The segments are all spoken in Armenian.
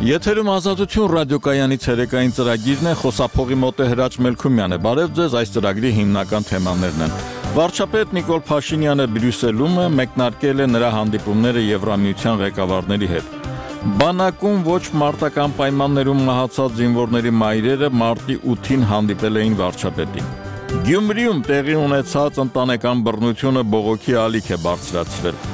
Եթերում Ազատություն ռադիոկայանի ցերեկային ծրագիրն է, խոսափողի մոտ է Հրաչ Մելքումյանը։ Բարև ձեզ, այս ծրագրի հիմնական թեմաներն են։ Վարչապետ Նիկոլ Փաշինյանը Բրյուսելում է, մեկնարկել է նրա հանդիպումները Եվրամիության ղեկավարների հետ։ Բանակում ոչ մարտական պայմաններում մահացած զինվորների մայրերը մարտի 8-ին հանդիպել էին վարչապետին։ Գյումրիում տեղի ունեցած ընտանեկան բռնությունը բողոքի ալիք է բարձրացրել։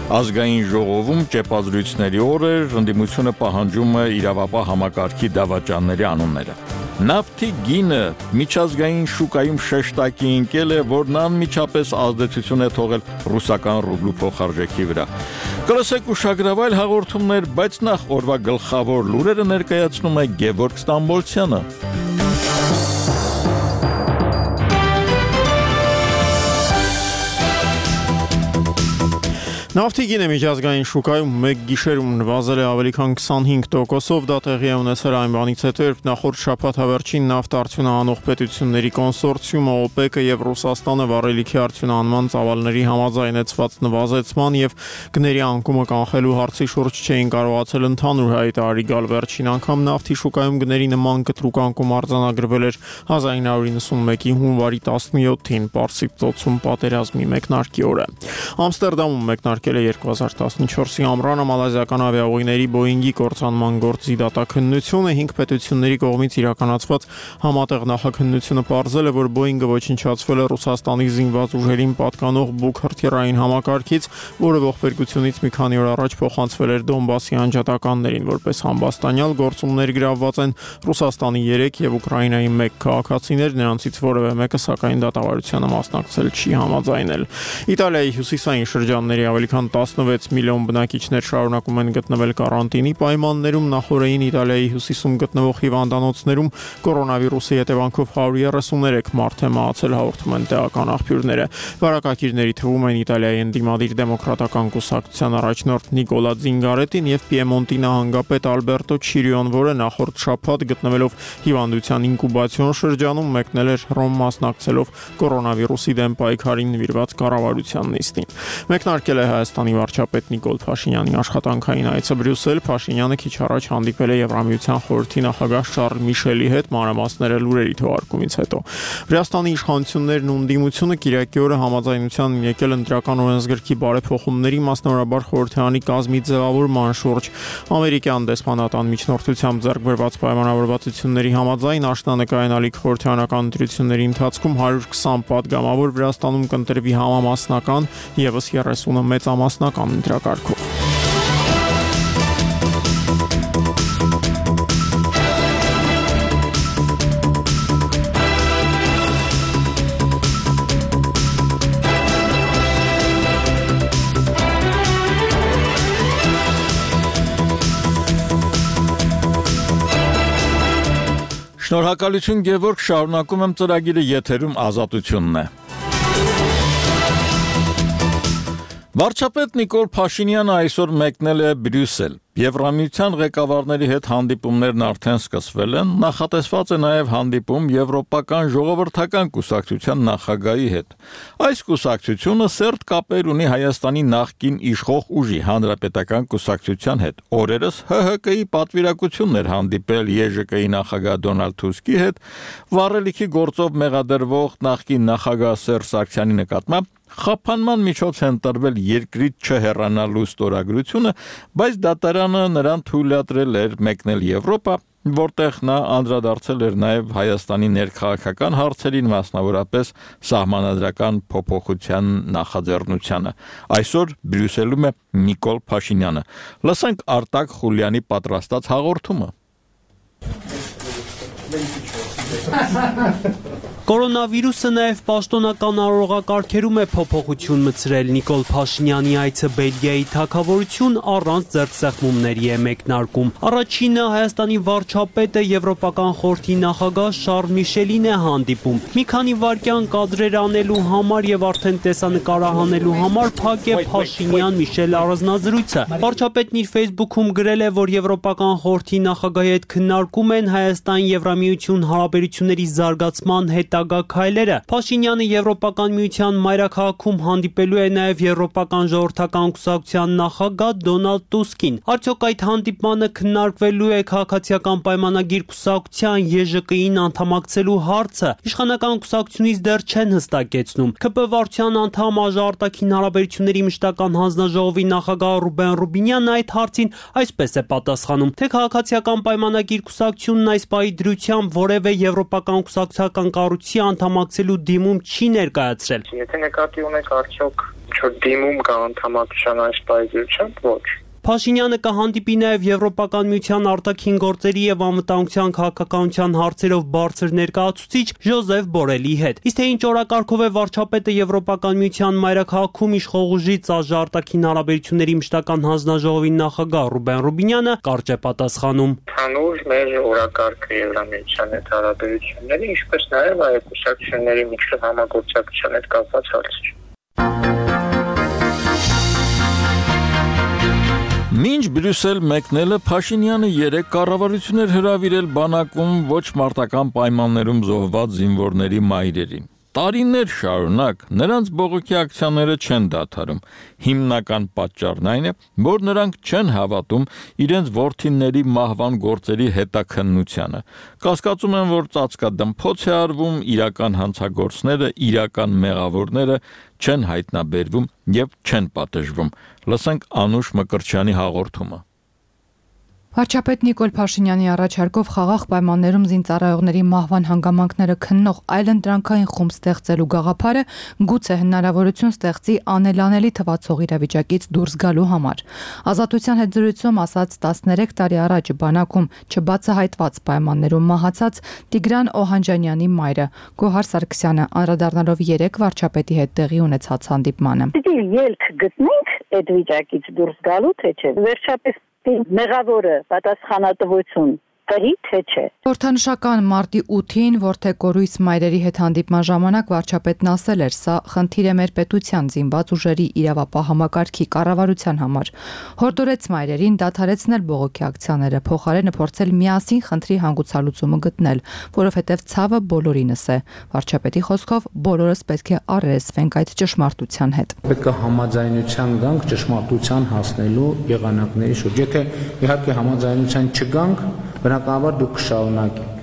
Ազգային ժողովում ճեպազրույցների օր էր, ընդդիմությունը պահանջում է իրավապահ համակարգի դավաճանների անունները։ Նավթի գինը միջազգային շուկայում շեշտակի ընկել է, որն անմիջապես ազդեցություն է թողել ռուսական ռուբլու փոխարժեքի վրա։ Կլսեք ուշագրավայր հաղորդումներ, բայց նախ օրվա գլխավոր լուրերը ներկայացնում է Գևորգ Ստամբոլցյանը։ Նավթի գինը միջազգային շուկայում մեկ գիշերում նվազել է ավելի քան 25%-ով, դա տեղի է ունեցել այն բանից հետո, երբ նախորդ շաբաթ հավերժին նավթ արդյունահանող պետությունների կոնսորցիումը ՕՊԵԿ-ը եւ Ռուսաստանը վառելիքի արդյունահանման ծավալների համաձայնեցված նվազեցման եւ գների անկումը կանխելու հարցի շուրջ չէին կարողացել ընդհանուր հայտարարի գալ։ Վերջին անգամ նավթի շուկայում գների նման կտրուկ անկում արձանագրվել էր 1991-ի հունվարի 17-ին Պարսից ծոցում պատերազմի մեկնարկի օրը։ Ամստերդամում մեկնարկել 2014-ի ամռանը մալազիական ավիաուղիների Boeing-ի կործանման գործի դատաքննությունը 5 պետությունների կողմից իրականացված համատեղ նախաքննությունը պարզել է, որ Boeing-ը ոչնչացվել է Ռուսաստանի զինված ուժերին պատկանող Buk հրթիռային համակարգից, որը ողբերգությունից մի քանի օր առաջ փոխանցվել էր Դոնբասի անջատականներին, որպես համբաստանյալ գործումներ գրավված են Ռուսաստանի 3 եւ Ուկրաինայի 1 քաղաքացիներ, նրանցից որևէ մեկը սակայն դատավարությանը մասնակցել չի համաձայնել։ Իտալիայի հյուսիսային շրջանների ավելի քան 16 միլիոն բնակիչներ շարունակում են գտնվել կարանտինի պայմաններում։ Նախորդին Իտալիայի հյուսիսում գտնվող հիվանդանոցներում կորոնավիրուսի հետևանքով 133 մարդ է մահացել, հաղորդում են տեղական աղբյուրները։ Վարակագիրների թվում են Իտալիայի ընդդիմադիր դեմոկրատական կուսակցության առաջնորդ Նիկոլա Զինգարետին եւ Պիեմոնտի նահանգապետ Ալբերտո Չիրիոն, որը նախորդ շաբաթ գտնվելով հիվանդության ինկուբացիոն շրջանում մեկնել էր Հռոմ մասնակցելով կորոնավիրուսի դեմ պայքարին նվիրված կառավարության նիստին։ Մեկնարկել է Հայաստանի վարչապետ Նիկոլ Փաշինյանի աշխատանքային այցը Բրյուսել։ Փաշինյանը քիչ առաջ հանդիպել է Եվրամիության խորհրդի նախագահ Շարլ Միշելի հետ, մանրամասները լուրերի թողարկումից հետո։ Վրաստանի իշխանություններն ու ընդդիմությունը Կիրակի օրը համաձայնության եկել ընտրական օրենսգրքի բարեփոխումների, մասնավորաբար խորհրդարանի կազմի ձևավորման շուրջ։ Ամերիկյան դեսպանատան միջնորդությամբ ձեռք բերված պայմանավորվածությունների համաձայն աշնանկայանալիք խորհրդարանական ընտրությունների ընթացքում 120 պատգամավոր Վրաստանում կընտրվի համամասնական եւս 30-ը մեծամասնական ընտրակարգով։ Շնորհակալություն Գևորգ, շարունակում եմ ծրագիրը, եթերում Ազատությունն է։ Վարչապետ Նիկոլ Փաշինյանը այսօր մեկնել է Բրյուսել։ Եվրամիության ղեկավարների հետ հանդիպումներն արդեն սկսվել են, նախատեսված է նաև հանդիպում Եվրոպական ժողովրդական կուսակցության նախագահի հետ։ Այս կուսակցությունը սերտ կապեր ունի Հայաստանի նախկին իշխող ուժի հանրապետական կուսակցության հետ։ Օրերս ՀՀԿ-ի պատվիրակությունն էր հանդիպել ԵԺԿ-ի նախագահ Դոնալդ Թուսկի հետ, վառելիքի գործով մեղադրվող նախկին նախագահ Սերժ Սարգսյանի նկատմամբ խափանման միջոց են տրվել երկրից չհեռանալու ստորագրությունը, բայց դատարանը նրան թույլատրել էր մեկնել Եվրոպա, որտեղ նա անդրադարձել էր նաև Հայաստանի ներքաղաքական հարցերին, մասնավորապես սահմանադրական փոփոխության նախաձեռնությանը։ Այսօր Բրյուսելում է Նիկոլ Փաշինյանը։ Լսենք Արտակ Խուլյանի պատրաստած հաղորդումը։ Կորոնավիրուսը նաև պաշտոնական արարողակարգերում է փոփոխություն մտցրել։ Նիկոլ Փաշինյանի այցը Բելգիայի թագավորություն առանց ձեռքսեղմումների է մեկնարկում։ Առաջինը Հայաստանի վարչապետը Եվրոպական խորհրդի նախագահ Շարլ Միշելին է հանդիպում։ Մի քանի վայրկյան կադրեր անելու համար եւ արդեն տեսանկարահանելու համար փակ է Փաշինյան-Միշել առանձնազրույցը։ Վարչապետն իր Facebook-ում գրել է, որ Եվրոպական խորհրդի նախագահի հետ քննարկում են Հայաստան-Եվրամիություն հարաբերությունների զարգացման հետ հետագա քայլերը։ Փաշինյանը Եվրոպական միության մայրաքաղաքում հանդիպելու է նաև Եվրոպական ժողովրդական կուսակցության նախագահ Դոնալդ Տուսկին։ Արդյոք այդ հանդիպմանը քննարկվելու է քաղաքացիական պայմանագիր կուսակցության ԵԺԿ-ին անդամակցելու հարցը։ Իշխանական կուսակցությունից դեռ չեն հստակեցնում։ ԿՊ վարչության անդամ Արտաքին հարաբերությունների մշտական հանձնաժողովի նախագահ Ռուբեն Ռուբինյանն այդ հարցին այսպես է պատասխանում, թե քաղաքացիական պայմանագիր կուսակցությունն այս պահի դրությամբ որևէ եվրոպական կուսակցական կառույցի անդամակցելու դիմում չի ներկայացրել։ Եթե նկատի ունեք արդյոք դիմում կա անդամակցության այս պահի դրությամբ, ոչ։ Փաշինյանը կհանդիպի նաև Եվրոպական միության արտաքին գործերի եւ անվտանգության քաղաքականության հարցերով բարձր ներկայացուցիչ Ժոզեֆ Բորելի հետ։ Իսկ թե ինչ օրակարգով է վարչապետը Եվրոպական միության մայրաքաղաքում իշխող ուժից արտաքին հարաբերությունների մշտական հանձնաժողովի նախագահ Ռուբեն Ռուբինյանը կարճ է պատասխանում։ Հանուր մեր օրակարգը Եվրամիության հետ հարաբերությունների, ինչպես նաև այդ կուսակցությունների միջև համագործակցության հետ կապված հարցեր։ Մինչ Բրյուսել մեկնելը Փաշինյանը 3 կառավարություններ հրավիրել բանակում ոչ մարտական պայմաններում զոհված զինվորների մայրերին։ Տարիներ շարունակ նրանց բողոքի ակցիաները չեն դադարում։ Հիմնական պատճառն այն է, որ նրանք չեն հավատում իրենց որդիների մահվան գործերի հետաքննությանը։ Կասկածում են, որ ծածկադմփոց է արվում, իրական հանցագործները, իրական մեղավորները չեն հայտնաբերվում եւ չեն պատժվում։ Լսենք Անուշ Մկրտչյանի հաղորդումը։ Վարչապետ Նիկոլ Փաշինյանի առաջարկով խաղաղ պայմաններում զինծառայողների մահվան հանգամանքները քննող այլընտրանքային խումբ ստեղծելու գաղափարը գուցե հնարավորություն ստեղծի անելանելի թվացող իրավիճակից դուրս գալու համար։ Ազատության հետ զրույցում ասաց 13 տարի առաջ բանակում չբացահայտված պայմաններում մահացած Տիգրան Օհանջանյանի մայրը Գոհար Սարգսյանը անդրադառնալով 3 վարչապետի հետ տեղի ունեցած հանդիպմանը։ Պիտի ելք գտնենք այդ վիճակից դուրս գալու, թե չէ։ Վերջապես մեղավորը պատասխանատվություն կրի, թե չէ։ Խորհրդանշական մարտի 8-ին Որդեկորույս մայրերի հետ հանդիպման ժամանակ վարչապետն ասել էր, սա խնդիր է մեր պետության զինված ուժերի իրավապահ համակարգի կառավարության համար։ Հորդորեց մայրերին դադարեցնել բողոքի ակցիաները, փոխարենը փորձել միասին խնդրի հանգուցալուծումը գտնել, որովհետև ցավը բոլորինս է։ Վարչապետի խոսքով բոլորս պետք է առերեսվենք այդ ճշմարտության հետ։ Պետք է համաձայնության գանք ճշմարտության հասնելու եղանակների շուրջ։ Եթե իհարկե համաձայնության չգանք, բնականաբար դուք կշարունակեք,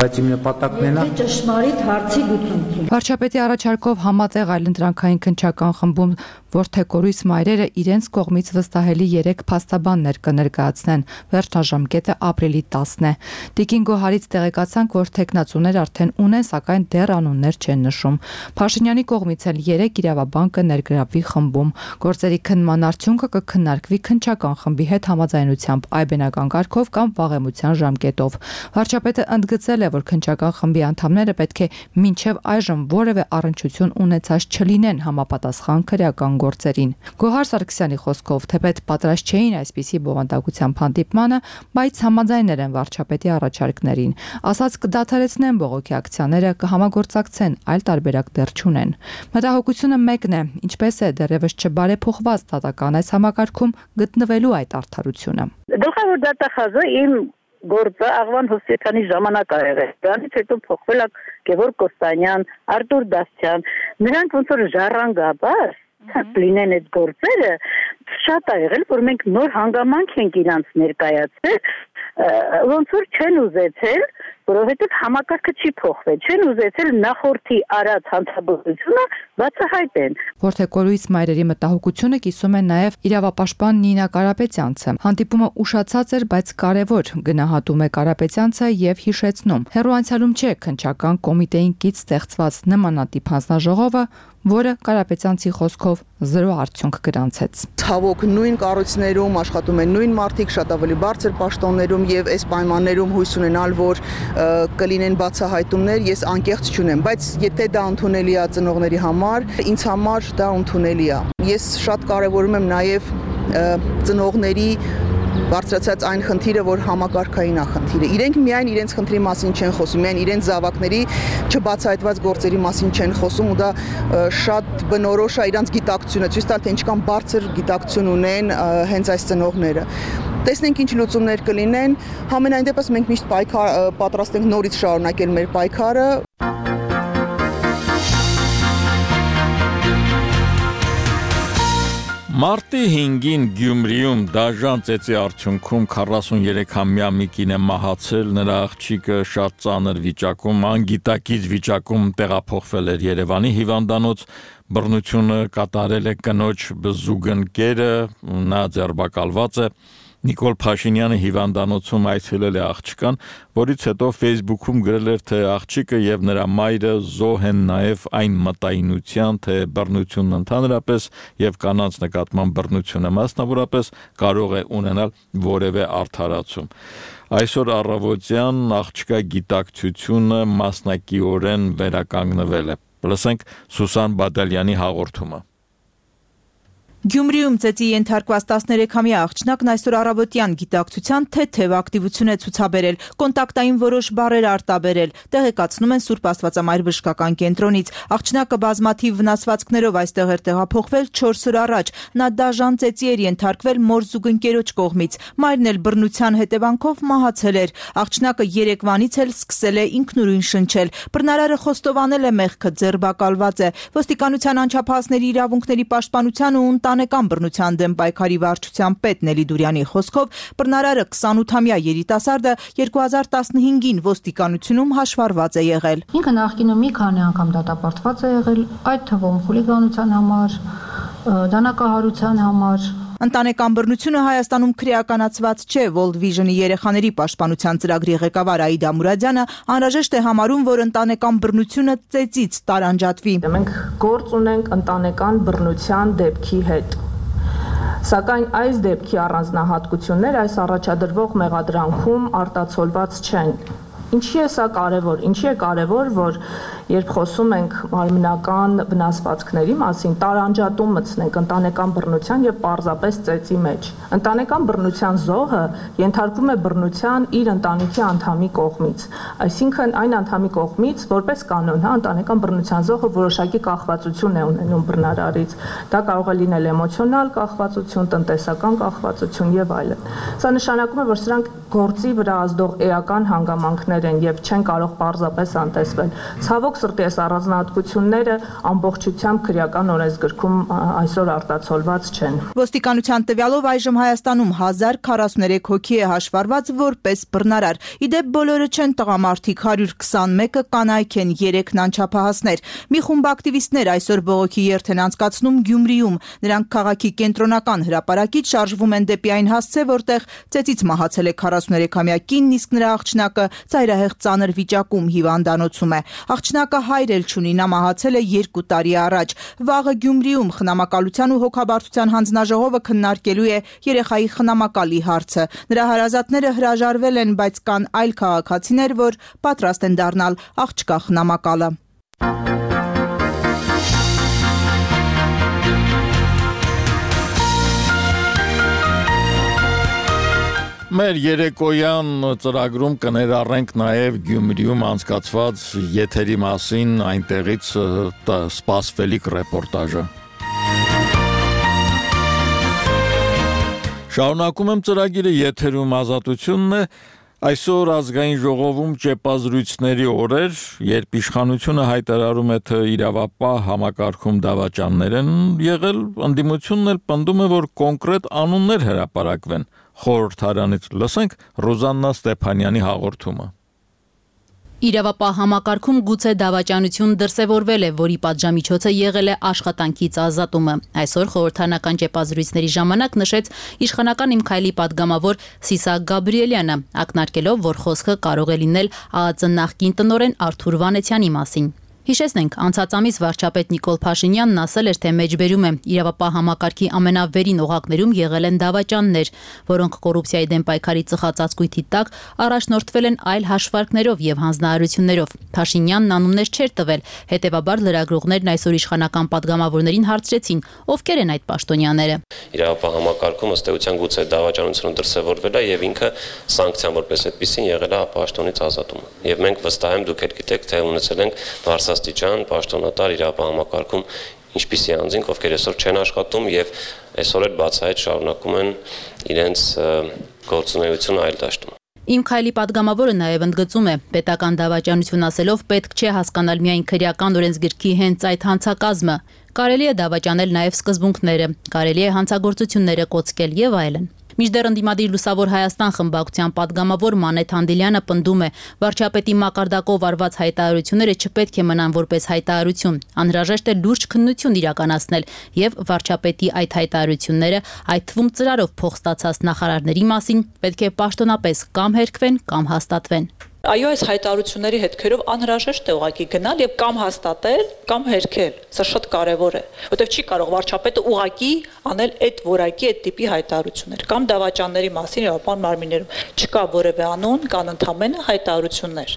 բայց իմ նպատակն է ճշմարիտ հարցի լուծում։ Վարչապետի առաջարկով համատեղ այլընտրանքային քննչական խմբում Որդեկորույս մայրերը իրենց կողմից վստահելի 3 փաստաբաններ կներկայացնեն։ Վերջնաժամկետը ապրիլի 10-ն է։ Տիկին Գոհարից տեղեկացանք, որ թեկնածուներ արդեն ունեն, սակայն դեռ անուններ չեն նշում։ Փաշինյանի կողմից էլ 3 իրավաբան կներգրավվի խմբում։ Գործերի քննման արդյունքը կքննարկվի քննչական խմբի հետ համաձայնությամբ այբենական կարգով կամ վաղեմության ժամկետով։ Վարչապետը ընդգծել է, որ քննչական խմբի անդամները պետք է մինչև այժմ որևէ առնչություն ունեցած չլինեն համապատասխան քրեական գործերին։ Գոհար Սարգսյանի խոսքով, թեպետ պատրաստ չէին այսպիսի բովանդակությամբ հանդիպմանը, բայց համաձայնել են վարչապետի առաջարկներին։ Ասաց կդադարեցնեն բողոքի ակցիաները, կհամագործակցեն, այլ տարբերակ դեռ չունեն։ Մտահոգությունը մեկն է, ինչպես է դեռևս չբարեփոխված դատական այս համակարգում գտնվելու այդ արդարությունը։ Գլխավոր դատախազը իմ գործը Աղվան Հովսեփյանի ժամանակ ա եղել։ Դրանից հետո փոխվել է Գևորգ Կոստանյան, Արտուր Դասյան։ Նրանք ոնց որ ժառանգաբար լինեն այդ գործերը, շատ ա եղել, որ մենք նոր հանգամանք ենք իրանց ներկայացրել, ոնց որ չեն ուզեցել, որովհետև համակարգը չի փոխվել, չեն ուզեցել նախորդի արած հանցագործությունը բացահայտեն։ Որդեկորույս մայրերի մտահոգությունը կիսում է նաև իրավապաշտպան Նինա Կարապետյանցը։ Հանդիպումը ուշացած էր, բայց կարևոր, գնահատում է Կարապետյանցը եւ հիշեցնում. հեռու անցյալում չէ քննչական կոմիտեին կից ստեղծված նմանատիպ հանձնաժողովը, որը Կարապետյանցի խոսքով 0 արդյունք գրանցեց։ Ցավոք նույն կառույցներում աշխատում են նույն մարդիկ, շատ ավելի բարձր պաշտոններում եւ այս պայմաններում հույս ունենալ, որ կլինեն բացահայտումներ, ես անկեղծ չունեմ, բայց եթե դա ընդունելի է ծնողների համար, ինձ համար դա ընդունելի է։ Ես շատ կարևորում եմ նաեւ ծնողների բարձրացած այն խնդիրը, որ համակարգային է խնդիրը։ Իրենք միայն իրենց խնդրի մասին չեն խոսում, միայն իրենց զավակների չբացահայտված գործերի մասին չեն խոսում ու դա շատ բնորոշ է իրանց գիտակցությունը, ցույց տալ թե ինչքան բարձր գիտակցություն ունեն հենց այս ծնողները։ Տեսնենք ինչ լուծումներ կլինեն, համենայն դեպս մենք միշտ պատրաստ ենք նորից շարունակել մեր պայքարը։ Մարտի 5-ին Գյումրիում դաժան ծեծի արդյունքում 43-ամյա մի կին է մահացել, նրա աղջիկը շատ ծանր վիճակում, անգիտակից վիճակում տեղափոխվել էր Երևանի հիվանդանոց, բռնությունը կատարել է կնոջ զուգընկերը, նա ձերբակալված է։ Նիկոլ Փաշինյանը հիվանդանոցում այցելել է աղջկան, որից հետո Facebook-ում գրել էր, թե աղջիկը եւ նրա մայրը զոհ են նաեւ այն մտայնության, թե բռնությունն ընդհանրապես եւ կանանց նկատմամբ բռնությունը մասնավորապես կարող է ունենալ որևէ արդարացում։ Այսօր առավոտյան աղջկա գիտակցությունը մասնակիորեն վերականգնվել է։ Լսենք Սուսան Բադալյանի հաղորդումը։ Գյումրիում ծեծի ենթարկված 13-ամյա աղջնակն այսօր առավոտյան գիտակցության թեթև ակտիվություն է ցուցաբերել, կոնտակտային որոշ բառեր արտաբերել, տեղեկացնում են Սուրբ Աստվածամայր բժշկական կենտրոնից։ Աղջնակը բազմաթիվ վնասվածքներով այստեղ էր տեղափոխվել 4 օր առաջ։ Նա դաժան ծեծի էր ենթարկվել մոր զուգընկերոջ կողմից։ Մայրն էլ բռնության հետևանքով մահացել էր։ Աղջնակը երեկվանից էլ սկսել է ինքնուրույն շնչել։ Բռնարարը խոստովանել է մեղքը, ձերբակալված է։ Ոստիկանության անչափահասների իրավունքների պաշտպանության ու Ընտանեկան բռնության դեմ պայքարի վարչության պետ Նելի Դուրյանի խոսքով բռնարարը 28-ամյա երիտասարդը 2015-ին ոստիկանությունում հաշվառված է եղել։ Ինքը նախկինում մի քանի անգամ դատապարտված է եղել, այդ թվում խուլիգանության համար, դանակահարության համար։ Ընտանեկան բռնությունը Հայաստանում քրեականացված չէ։ World Vision-ի երեխաների պաշտպանության ծրագրի ղեկավար Աիդա Մուրադյանը անհրաժեշտ է համարում, որ ընտանեկան բռնությունը ծեծից տարանջատվի։ Մենք գործ ունենք ընտանեկան բռնության դեպքի հետ։ Սակայն այս դեպքի առանձնահատկություններ այս առաջադրվող մեղադրանքում արտացոլված չեն։ Ինչի է սա կարևոր։ Ինչի է կարևոր, որ երբ խոսում ենք մարմնական վնասվածքների մասին, տարանջատում մտցնենք ընտանեկան բռնության եւ պարզապես ծեծի մեջ։ Ընտանեկան բռնության զոհը ենթարկվում է բռնության իր ընտանիքի անդամի կողմից, այսինքն այն անդամի կողմից, որպես կանոն, ընտանեկան բռնության զոհը որոշակի կախվածություն է ունենում բռնարարից։ Դա կարող է լինել էմոցիոնալ կախվածություն, տնտեսական կախվածություն եւ այլն։ Սա նշանակում է, որ սրանք գործի վրա ազդող էական հանգամանքներ են եւ չեն կարող պարզապես անտեսվել։ Ցավոք սրտի այս առանձնահատկությունները ամբողջությամբ քրեական օրենսգրքում այսօր արտացոլված չեն։ Ոստիկանության տվյալով այժմ Հայաստանում 1043 հոգի է հաշվառված որպես բռնարար։ Իդեպ բոլորը չեն տղամարդիկ, 121-ը կանայք են, 3-ն անչափահասներ։ Մի խումբ ակտիվիստներ այսօր բողոքի երթ են անցկացնում Գյումրիում։ Նրանք քաղաքի կենտրոնական հրապարակից շարժվում են դեպի այն հասցե, որտեղ ծեծից մահացել է 43-ամյա կինն, իսկ նրա աղջնակը ծայրահեղ ծանր վիճակում հիվանդանոցում է։ Աղջնակը հայր էլ չունի, նա մահացել է 2 տարի առաջ։ Վաղը Գյումրիում խնամակալության ու հոգաբարձության հանձնաժողովը քննարկելու է երեխայի խնամակալի հարցը։ Նրա հարազատները հրաժարվել են, բայց կան այլ քաղաքացիներ, որ պատրաստ են դառնալ աղջկա խնամակալը։ Մեր երեկոյան ծրագրում կներառենք նաև Գյումրիում անցկացված եթերի մասին այնտեղից սպասվելիք ռեպորտաժը։ Շարունակում եմ ծրագիրը, եթերում Ազատությունն է։ Այսօր ազգային ժողովում ճեպազրույցների օրեր, երբ իշխանությունը հայտարարում է, թե իրավապահ համակարգում դավաճաններ են եղել, ընդդիմությունն էլ պնդում է, որ կոնկրետ անուններ հրապարակվեն։ Խորհրդարանից լսենք Ռոզաննա Ստեփանյանի հաղորդումը։ Իրավապահ համակարգում գուցե դավաճանություն դրսևորվել է, որի պատժամիջոցը եղել է աշխատանքից ազատումը։ Այսօր խորհրդարանական ճեպազրույցների ժամանակ նշեց իշխանական Իմ քայլի падգամավոր Սիսակ Գաբրիելյանը, ակնարկելով, որ խոսքը կարող է լինել ԱԱԾ նախկին տնօրեն Արթուր Վանեցյանի մասին։ Հիշեցնենք, անցած ամիս վարչապետ Նիկոլ Փաշինյանն ասել էր, թե մեջբերում է իրավապահ համակարգի ամենավերին օղակներում եղել են դավաճաններ, որոնք կոռուպցիայի դեմ պայքարի ծխածածկույթի տակ առաջնորդվել են այլ հաշվարկներով եւ հանձնարարություններով։ Փաշինյանն անուններ չէր տվել, հետեւաբար լրագրողներն այսօր իշխանական падգամավորներին հարցրեցին, ովքեր են այդ պաշտոնյաները։ Իրավապահ համակարգում ըստ էության գուցե դավաճանությունը դրսևորվել է եւ ինքը սանկցիան որպես այդպեսին եղել է պաշտոնից ազատումը։ Եվ մենք վստահ եմ դուք գիտեք, թե ունեցել ենք բարձրաստիճան պաշտոնատար իրավապահ համակարգում ինչպիսի անձինք, ովքեր այսօր չեն աշխատում եւ այսօր էլ բացահայտ շարունակում են իրենց գործունեությունը այլ դաշտում։ Իմ քայլի падգամավորը նաև ընդգծում է, պետական դավաճանություն ասելով պետք չէ հասկանալ միայն քրեական օրենսգրքի հենց այդ հանցակազմը։ Կարելի է դավաճանել նաև սկզբունքները, կարելի է հանցագործությունները կոծկել եւ այլն։ Մինչդեռ ընդդիմադիր Լուսավոր Հայաստան խմբակցության падգամավոր Մանեթ Անդիլյանը պնդում է, վարչապետի մակարդակով արված հայտարարությունները չպետք է մնան որպես հայտարարություն, անհրաժեշտ է լուրջ քննություն իրականացնել եւ վարչապետի այդ հայտարարությունները, այդ թվում ծրարով փող ստացած նախարարների մասին պետք է պաշտոնապես կամ հերքվեն, կամ հաստատվեն։ Այո, այս հայտարարությունների հետքերով անհրաժեշտ է ուղղակի գնալ եւ կամ հաստատել, կամ հերքել։ Սա շատ կարեւոր է, որովհետեւ չի կարող վարչապետը ուղղակի անել այդ որակի, այդ տիպի հայտարարություններ, կամ դավաճանների մասին իրավապահ մարմիններում չկա որևէ անուն, կան ընդհանրապես հայտարարություններ։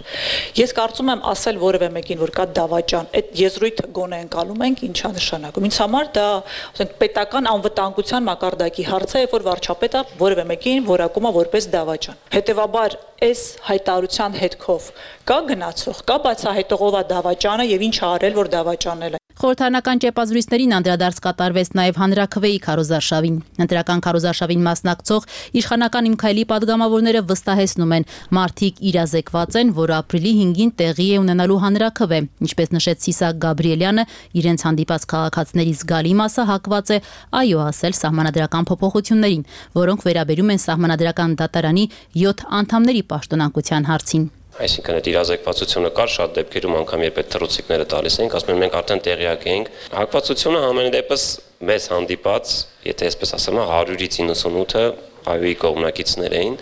Ես կարծում եմ ասել որևէ մեկին, որ կա դավաճան, այդ եզրույթը գոնե ընկալում ենք, ինչա նշանակում։ Ինձ համար դա, ասենք, պետական անվտանգության մակարդակի հարց է, որ վարչապետը որևէ մեկին որակում է որպես դավաճան։ Հետևաբար այս հայտարարության հետքով կա գնացող, կա բացահայտողով դավաճանը եւ ինչ արել, որ դավաճանել է։ Խորհրդարանական ճեպազրույցներին անդրադարձ կատարվեց նաև հանրաքվեի քարոզարշավին։ Ընտրական քարոզարշավին մասնակցող իշխանական Իմ քայլի падգամավորները վստահեցնում են, մարդիկ իրազեկված են, որ ապրիլի 5-ին տեղի է ունենալու հանրաքվե։ Ինչպես նշեց Սիսակ Գաբրիելյանը, իրենց հանդիպած քաղաքացիների զգալի մասը հակված է այո ասել սահմանադրական փոփոխություններին, որոնք վերաբերում են սահմանադրական դատարանի 7 անդամների պաշտոնակության հարցին։ Այսինքն այդ իրազեկվածությունը կար շատ դեպքերում անգամ երբ այդ թռուցիկները տալիս ենք, ասում են մենք արդեն տեղյակ ենք։ Հակվածությունը համենայն դեպս մեզ հանդիպած, եթե այսպես ասեմ, 100-ից 98-ը այոյի կողմնակիցներ էին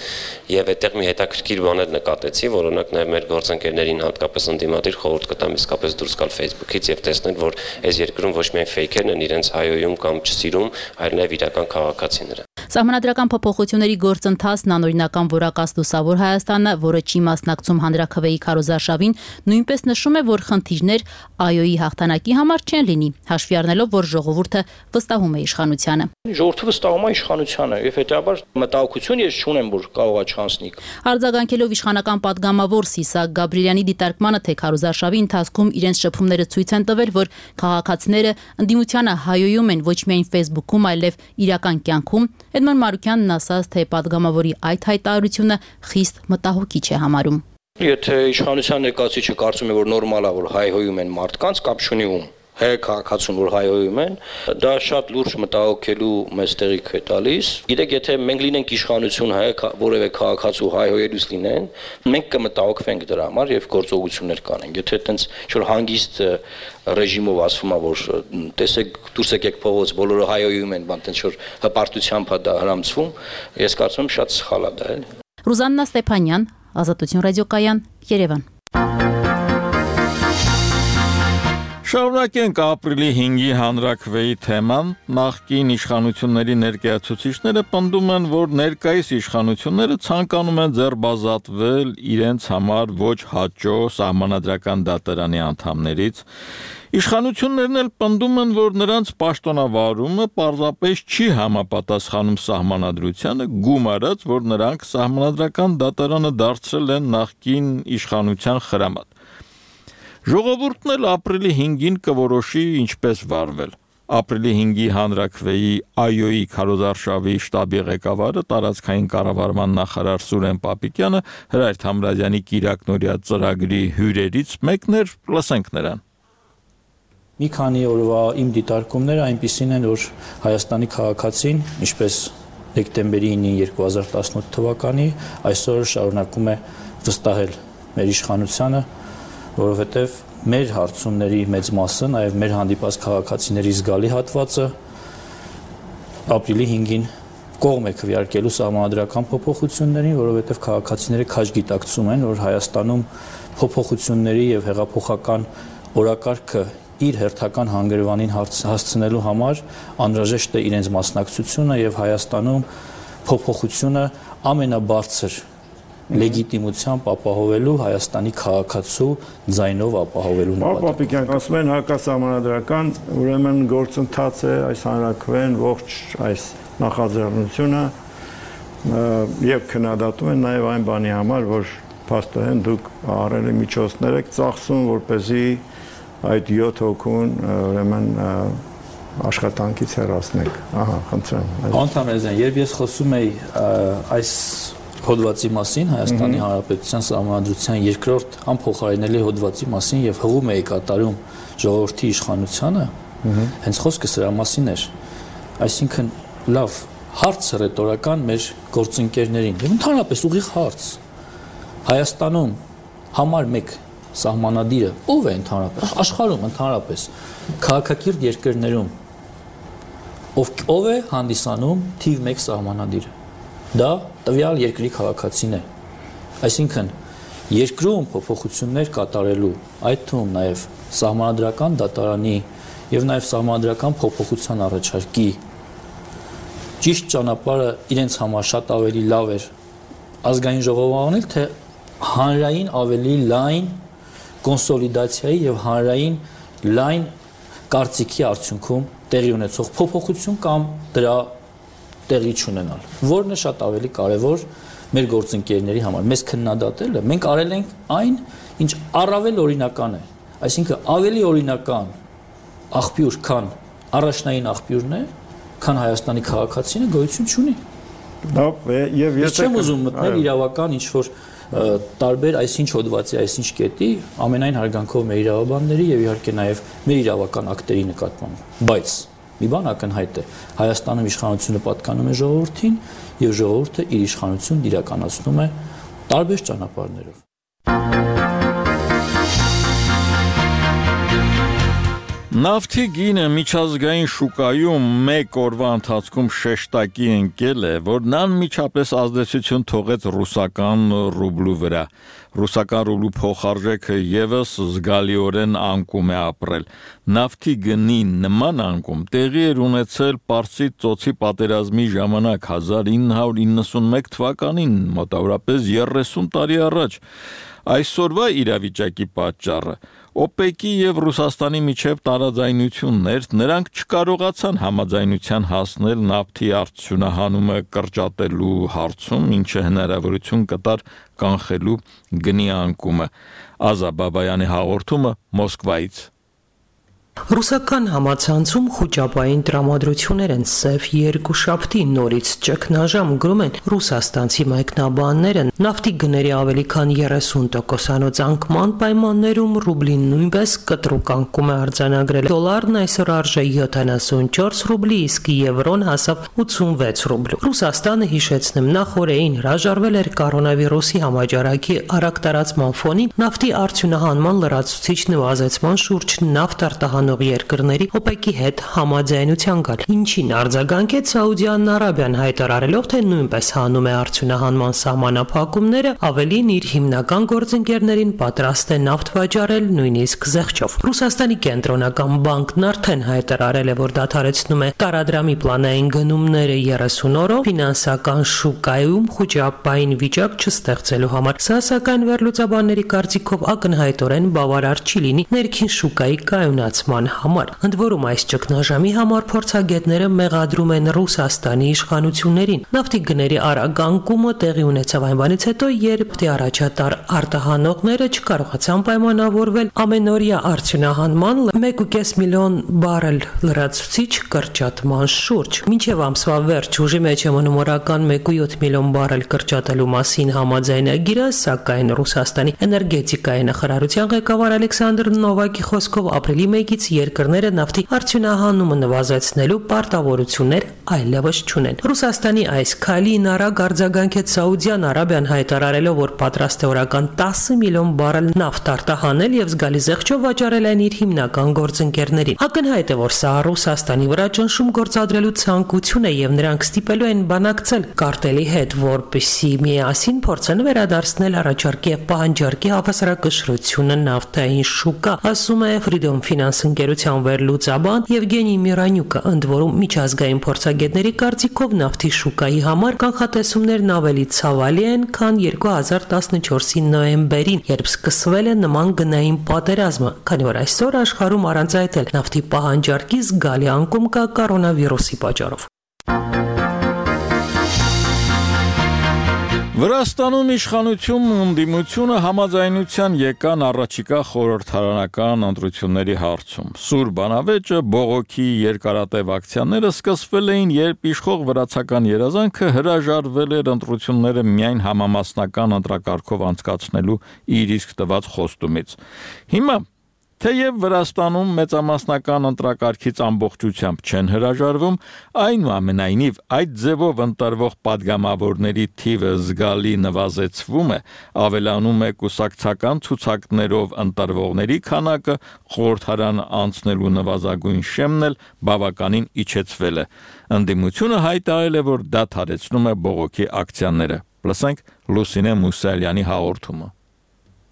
եւ այդտեղ մի հետաքրքիր բան էլ նկատեցի, որ օրինակ նաեւ մեր գործընկերներին հատկապես ընդդիմադիր խորհուրդ կտամ իսկապես դուրս գալ Facebook-ից եւ տեսնել, որ այս երկրում ոչ միայն ֆեյքերն են իրենց հայոյում կամ չսիրում, այլ նաեւ իրական քաղաքացիները։ Սահմանադրական փոփոխությունների գործընթացն անօրինական որակած Լուսավոր Հայաստանը, որը չի մասնակցում հանրաքվեի քարոզարշավին, նույնպես նշում է, որ խնդիրներ այոյի հաղթանակի համար չեն լինի, հաշվի առնելով, որ ժողովուրդը վստահում է իշխանությանը։ Ժողովուրդը վստահում է իշխանությանը եւ հետեւաբար մտահոգություն ես չունեմ, որ կարող է չանցնի։ Արձագանքելով իշխանական падգամավոր Սիսակ Գաբրիելյանի դիտարկմանը, թե քարոզարշավի ընթացքում իրենց շփումները ցույց են տվել, որ քաղաքացիները ընդդիմությանը հայոյում են ոչ միայն Facebook-ում, այլև իրական կյանքում, Էդմոն Մարուկյանն ասաց, թե падգամավորի այդ հայտարարությունը խիստ մտահոգիչ է համարում։ Եթե իշխանության ներկայացուցիչը կարծում է, որ նորմալ է, որ հայհոյում են մարդկանց, կապ չունի ում հայ քաղաքացուն, որ հայհոյում են, դա շատ լուրջ մտահոգելու մեզ տեղիք է տալիս։ Գիտեք, եթե մենք լինենք իշխանություն հայ որևէ քաղաքացու հայհոյելուց լինեն, մենք կմտահոգվենք դրա համար եւ գործողություններ կանենք։ Եթե այտենց ինչ-որ հանգիստ ռեժիմով ասվում է, որ տեսեք, դուրս եկեք փողոց, բոլորը հայհոյում են, բան այտենց որ հպարտությամբ է դա հրամցվում, ես կարծում եմ շատ սխալ է դա, էլի։ Ռուզաննա Ստեփանյան, Ազատություն ռադիոկայան, Երևան։ Շարունակենք ապրիլի 5-ի հանրաքվեի թեման, նախկին իշխանությունների ներկայացուցիչները պնդում են, որ ներկայիս իշխանությունները ցանկանում են ձեռբազատվել իրենց համար ոչ հաճո սահմանադրական դատարանի անդամներից, իշխանություններն էլ պնդում են, որ նրանց պաշտոնավարումը պարզապես չի համապատասխանում սահմանադրությանը, գումարած, որ նրանք սահմանադրական դատարանը դարձրել են նախկին իշխանության խրամատ։ Ժողովուրդն էլ ապրիլի 5-ին կորոշի ինչպես վարվել։ Ապրիլի 5-ի հանրաքվեի այոյի քարոզարշավի շտաբի ղեկավարը տարածքային կառավարման նախարար Սուրեն Պապիկյանը Հրայր Թամրազյանի կիրակնօրյա ծրագրի հյուրերից մեկն էր, լսենք նրան։ Մի քանի օրվա իմ դիտարկումները այնպիսին են, որ Հայաստանի քաղաքացին, ինչպես դեկտեմբերի 9-ին 2018 թվականի, այսօր շարունակում է վստահել մեր իշխանությանը, որովհետև մեր հարցումների մեծ մասը, նաև մեր հանդիպած քաղաքացիների զգալի հատվածը ապրիլի 5-ին կողմ է քվեարկելու սահմանադրական փոփոխություններին, որովհետև քաղաքացիները քաջ գիտակցում են, որ Հայաստանում փոփոխությունների եւ հեղափոխական օրակարգը իր հերթական հանգրվանին հասցնելու համար անհրաժեշտ է իրենց մասնակցությունը եւ Հայաստանում փոփոխությունը ամենաբարձր լեգիտիմությամբ ապահովելու Հայաստանի քաղաքացու ձայնով ապահովելու նպատակով։ Պապիկյան, ասում են հակասահմանադրական, ուրեմն գործընթաց է այս հանրաքվեն ողջ այս նախաձեռնությունը եւ քննադատում են նաեւ այն բանի համար, որ փաստորեն դուք առելի միջոցներ եք ծախսում, որպեսզի այդ 7 հոգուն ուրեմն աշխատանքից հեռացնեք։ Ահա, խնդրեմ։ Անդամեզյան, երբ ես խոսում եի այս հոդվածի մասին, Հայաստանի Հանրապետության Սահմանադրության երկրորդ անփոխարինելի հոդվածի մասին եւ հղում էի կատարում ժողովրդի իշխանությանը, հենց խոսքը սրա մասին էր։ Այսինքն լավ հարց ռետորական մեր գործընկերներին եւ ընդհանրապես ուղիղ հարց։ Հայաստանում համար 1 սահմանադիրը ով է ընդհանրապես աշխարհում ընդհանրապես քաղաքակիրթ երկրներում ով է հանդիսանում թիվ 1 սահմանադիրը։ Դա տվյալ երկրի քաղաքացին է։ Այսինքն երկրում փոփոխություններ կատարելու, այդ թվում նաև սահմանադրական դատարանի եւ նաև սահմանադրական փոփոխության առաջարկի ճիշտ ճանապարհը իրենց համար շատ ավելի լավ էր ազգային ժողով անել, թե հանրային ավելի լայն կոնսոլիդացիայի եւ հանրային լայն կարծիքի արդյունքում տեղի ունեցող փոփոխություն կամ դրա տեղի չունենալ, որն է շատ ավելի կարևոր մեր գործընկերների համար։ Մեզ քննադատելը մենք արել ենք այն, ինչ առավել օրինական է, այսինքն ավելի օրինական աղբյուր, քան առաջնային աղբյուրն է, քան Հայաստանի քաղաքացին գոյություն չունի։ Լավ, եւ ես չեմ ուզում մտնել իրավական ինչ-որ տարբեր այսինչ հոդվածի, այսինչ կետի, ամենայն հարգանքով մեր իրավաբանների եւ իհարկե նաեւ մեր իրավական ակտերի նկատմամբ, բայց մի բան ակնհայտ է, Հայաստանում իշխանությունը պատկանում է ժողովրդին եւ ժողովուրդը իր իշխանությունն իրականացնում է տարբեր ճանապարհներով։ Նավթի գինը միջազգային շուկայում մեկ օրվա ընթացքում շեշտակի ընկել է, որն անմիջապես ազդեցություն թողեց ռուսական ռուբլու վրա։ Ռուսական ռուբլու փոխարժեքը եւս զգալիորեն անկում է ապրել։ Նավթի գնի նման անկում տեղի էր ունեցել Պարսից ծոցի պատերազմի ժամանակ 1991 թվականին, մոտավորապես 30 տարի առաջ։ Այսօրվա իրավիճակի պատճառը ՕՊԵԿ-ի եւ Ռուսաստանի միջև տարաձայնություններ, նրանք չկարողացան համաձայնության հասնել նավթի արդյունահանումը կրճատելու հարցում, ինչը հնարավորություն կտար կանխելու գնի անկումը։ Ազա Բաբայանի հաղորդումը Մոսկվայից։ Ռուսական համացանցում խոճապային տրամադրություններ են սև երկուշաբթի նորից ճգնաժամ գրում են ռուսաստանցի մեկնաբանները նավթի գների ավելի քան 30% անկման պայմաններում ռուբլին նույնպես կտրուկ անկում է արձանագրել դոլարն այսօր արժե 74 ռուբլի իսկ եվրոն հասավ 86 ռուբլու Ռուսաստանը հիշեցնեմ նախ օրեին հրաժարվել էր կորոնավիրուսի համաճարակի արագ տարածման ֆոնին նավթի արդյունահանման լրացուցիչ նվազեցման շուրջ նավթ արտահանող երկրների ՕՊԵԿ-ի հետ համաձայնության գալ, ինչին արձագանքեց Սաուդյան Արաբիան հայտարարելով, թե նույնպես հանում է արդյունահանման սահմանափակումները, ավելին իր հիմնական գործընկերներին պատրաստ է նավթ վաճառել նույնիսկ զեղչով։ Ռուսաստանի կենտրոնական բանկն արդեն հայտարարել է, որ դադարեցնում է տարադրամի պլանային գնումները 30 օրով ֆինանսական շուկայում խոճապային վիճակ չստեղծելու համար։ Սա սակայն վերլուծաբանների կարծիքով ակնհայտորեն բավարար չի լինի ներքին շուկայի կայունացման համար։ Ընդ որում այս ճգնաժամի համար փորձագետները մեղադրում են Ռուսաստանի իշխանություններին։ Նավթի գների արագ անկումը տեղի ունեցավ այն բանից հետո, երբ առաջատար արտահանողները չկարողացան պայմանավորվել ամենօրյա արդյունահանման 1.5 միլիոն բարել լրացուցիչ կրճատման շուրջ։ Մինչև ամսվա վերջ ուժի մեջ է մնում օրական 1.7 միլիոն բարել կրճատելու մասին համաձայնագիրը, սակայն Ռուսաստանի էներգետիկայի նախարարության ղեկավար Ալեքսանդր Նովակի խոսքով ապրիլի 1-ից երկրները նավթի արդյունահանումը նվազեցնելու պարտավորություններ այլևս չունեն։ Ռուսաստանի այս քայլին արագ արձագանքեց Սաուդյան Արաբիան հայտարարելով, որ պատրաստ է օրական 10 միլիոն բարել նավթ արտահանել եւ զգալի զեղչով վաճառել այն իր հիմնական գործընկերներին։ Ակնհայտ է, որ սա Ռուսաստանի վրա ճնշում գործադրելու ցանկություն է եւ նրանք ստիպելու են բանակցել կարտելի հետ, որպեսզի միասին փորձեն վերադարձնել առաջարկի եւ պահանջարկի հավասարակշռությունը նավթային շուկա, ասում է Freedom Finance ընկերության վերլուծաբան Եվգենի Միրանյուկը, ընդ որում միջազգային փորձագետների կարծիքով նավթի շուկայի համար կանխատեսումներն ավելի ցավալի են, քան 2014-ի նոյեմբերին, երբ սկսվել է նման գնային պատերազմը, քանի որ այսօր աշխարհում առանց այդ էլ նավթի պահանջարկի զգալի անկում կա կորոնավիրուսի պատճառով։ Վրաստանում իշխանությունն ու ընդդիմությունը համաձայնության եկան առաջիկա խորհրդարանական ընտրությունների հարցում։ Սուր բանավեճը բողոքի երկարատև ակցիաները սկսվել էին, երբ իշխող վրացական երազանքը հրաժարվել էր ընտրությունները միայն համամասնական ընտրակարգով անցկացնելու իր իսկ տված խոստումից։ Հիմա թեև Վրաստանում մեծամասնական ընտրակարգից ամբողջությամբ չեն հրաժարվում, այնուամենայնիվ այդ ձևով ընտրվող падգամավորների թիվը զգալի նվազեցվում է, ավելանում է կուսակցական ցուցակներով ընտրվողների քանակը, խորհրդարան անցնելու նվազագույն շեմն էլ բավականին իջեցվել է։ Ընդդիմությունը հայտարարել է, որ դադարեցնում է բողոքի ակցիաները։ Լսենք Լուսինե Մուսալյանի հաղորդումը։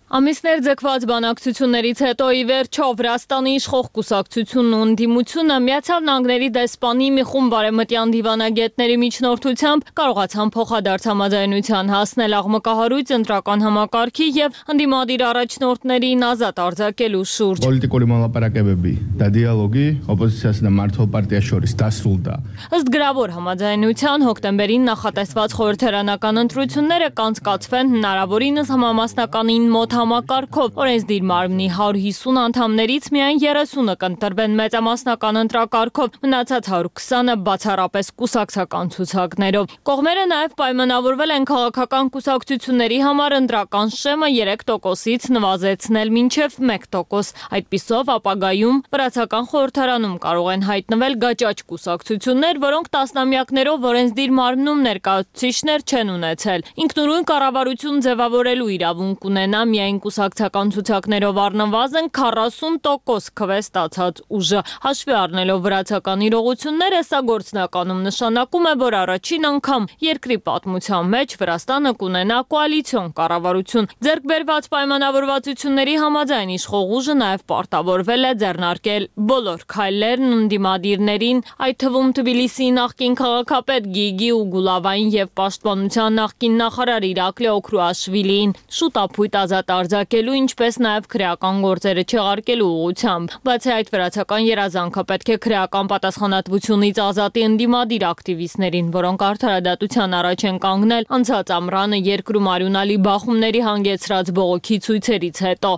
Ամիսներ ձգված բանակցություններից հետո ի վերջո Վրաստանի իշխող կուսակցությունն ու ընդդիմությունը Միացյալ Նահանգների դեսպանի մի խումբ բարեմտյան դիվանագետների միջնորդությամբ կարողացան փոխադարձ համաձայնության հասնել աղմկահարույց ընտրական համակարգի եւ ընդդիմադիր առաջնորդներին ազատ արձակելու շուրջ։ Պոլիտիկոլի մոլապարակებები դա դիալոգի օպոզիցիասն մարտհոլ պարտիա շորից դասուլ դա։ Ըստ գրավոր համաձայնության հոկտեմբերին նախատեսված խորհրդարանական ընտրությունները կանցկացվեն հնարավորինս համամասնականին մոտ համակարգով օրենսդիր մարմնի 150 անդամներից միայն 30-ը կընտրվեն մեծամասնական ընտրակարգով, մնացած 120-ը բացառապես կուսակցական ցուցակներով։ Կողմերը նաև պայմանավորվել են քաղաքական կուսակցությունների համար ընտրական շեմը 3%-ից նվազեցնել մինչև 1%։ Այդպիսով ապագայում վրացական խորհրդարանում կարող են հայտնվել գաճաճ կուսակցություններ, որոնք տասնամյակներով օրենսդիր մարմնում ներկայացուցիչներ չեն ունեցել։ Ինքնուրույն կառավարություն ձևավորելու իրավունք ունենա միայն կուսակցական ցուցակներով առնվազն 40% քվե ստացած ուժը։ Հաշվի առնելով վրացական իրողությունները, սա գործնականում նշանակում է, որ առաջին անգամ երկրի պատմության մեջ Վրաստանը կունենա կոալիցիոն կառավարություն։ Ձեռք բերված պայմանավորվածությունների համաձայն իշխող ուժը նաև պարտավորվել է ձեռնարկել բոլոր քայլերն ընդդիմադիրներին, այդ թվում Թբիլիսիի նախկին քաղաքապետ Գիգի Ուգուլավային եւ պաշտպանության նախկին նախարար Իրակլի Օքրուաշվիլիին շուտ ապույտ ազատ արձակելու, ինչպես նաև քրեական գործերը չեղարկելու ուղղությամբ։ Բացի այդ, վրացական երազանքը պետք է քրեական պատասխանատվությունից ազատի ընդդիմադիր ակտիվիստներին, որոնք արդարադատության առաջ են կանգնել անցած ամռանը երկրում արյունալի բախումների հանգեցրած բողոքի ցույցերից հետո։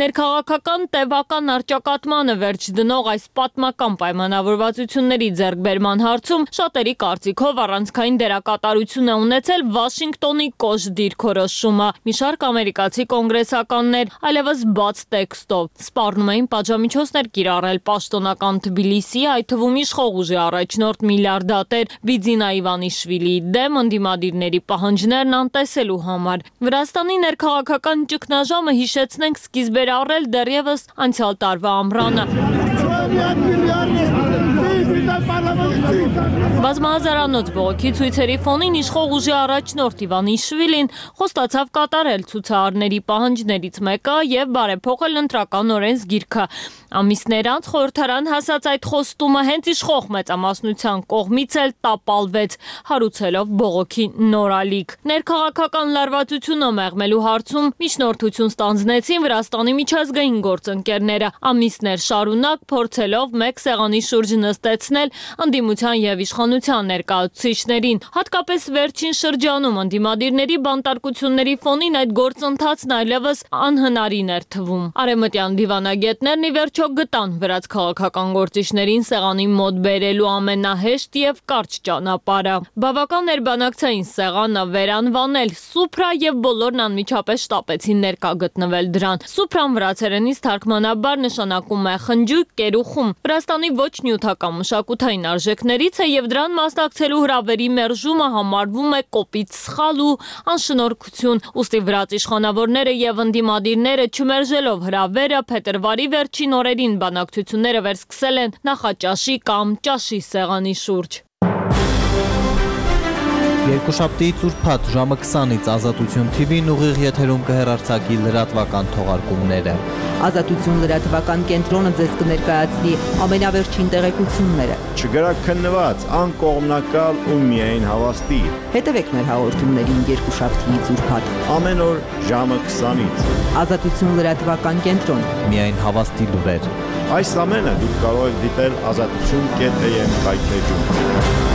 Ներքաղաքական տևական առճակատմանը վերջ դնող այս պատմական պայմանավորվածությունների ձեռքբերման հարցում շատերի կարծիքով առանցքային դերակատարություն է ունեցել Վաշինգտոնի կոշտ դիրքորոշումը։ Մի շարք ամերիկացի կոնգրեսականներ այլևս բաց տեքստով սպառնում էին պատժամիջոցներ կիրառել պաշտոնական Թբիլիսիի, այդ թվում իշխող ուժի առաջնորդ միլիարդատեր Բիձինա Իվանիշվիլիի դեմ ընդդիմադիրների պահանջներն անտեսելու համար։ Վրաստանի ներքաղաքական ճգնաժամը, հիշեցնենք, սկիզբ էր առել դեռևս անցյալ տարվա ամռանը։ Բազմահազարանոց բողոքի ցույցերի ֆոնին իշխող ուժի առաջնորդ Իվանիշվիլին խոստացավ կատարել ցուցարարների պահանջներից մեկը եւ բարեփոխել ընտրական օրենսգիրքը։ Ամիսներ անց խորհրդարան հասած այդ խոստումը հենց իշխող մեծամասնության կողմից էլ տապալվեց, հարուցելով բողոքի նորալիք։ Ներքաղաքական լարվածությունը մեղմելու հարցում միջնորդություն ստանձնեցին Վրաստանի միջազգային գործընկերները, ամիսներ շարունակ փորձելով մեկ սեղանի շուրջ նստեցնել ընդդիմության եւ իշխանության ներկայացուցիչներին։ Հատկապես վերջին շրջանում ընդդիմադիրների բանտարկությունների ֆոնին այդ գործընթացն այլևս անհնարին էր թվում։ Արևմտյան դիվանագետներն ի վերջո գտան վրաց քաղաքական գործիչներին սեղանի մոտ բերելու ամենահեշտ եւ կարճ ճանապարհը։ Բավական էր բանակցային սեղանը վերանվանել Սուպրա եւ բոլորն անմիջապես շտապեցին ներկա գտնվել դրան։ Սուպրան վրացերենից թարգմանաբար նշանակում է խնջույք, կերուխում։ Վրաստանի ոչ նյութական մշակութային արժեքներից է եւ դրան մասնակցելու հրավերի մերժումը համարվում է կոպիտ սխալ ու անշնորհքություն։ Ուստի վրաց իշխանավորները եւ ընդդիմադիրները չմերժելով հրավերը փետրվարի վերջին օրերին բանակցությունները վերսկսել են նախաճաշի կամ ճաշի սեղանի շուրջ։ Երկուշաբթի ծուրփաթ ժամը 20-ից Ազատություն TV-ն ուղիղ եթերում կհեռարձակի լրատվական թողարկումները։ Ազատություն լրատվական կենտրոնը ձեզ կներկայացնի ամենավերջին տեղեկությունները։ Չգրաքննված, անկողմնակալ ու միայն հավաստի։ Հետևեք մեր հաղորդումներին երկուշաբթի ծուրփաթ ամեն օր ժամը 20-ից։ Ազատություն լրատվական կենտրոն։ Միայն հավաստի լուրեր։ Այս ամենը դուք կարող եք դիտել azatutun.am կայքեջում։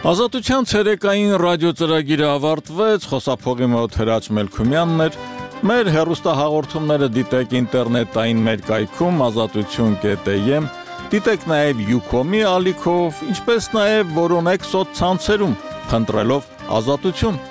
Ազատության ցերեկային ռադիոծրագիրը ավարտվեց, խոսափողի մոտ Հրաչ Մելքումյանն էր, մեր հեռուստահաղորդումները դիտեք ինտերնետային մեր կայքում azatutun.am, դիտեք նաև Ucom-ի ալիքով, ինչպես նաև որոնեք սոցցանցերում, փնտրելով Ազատություն։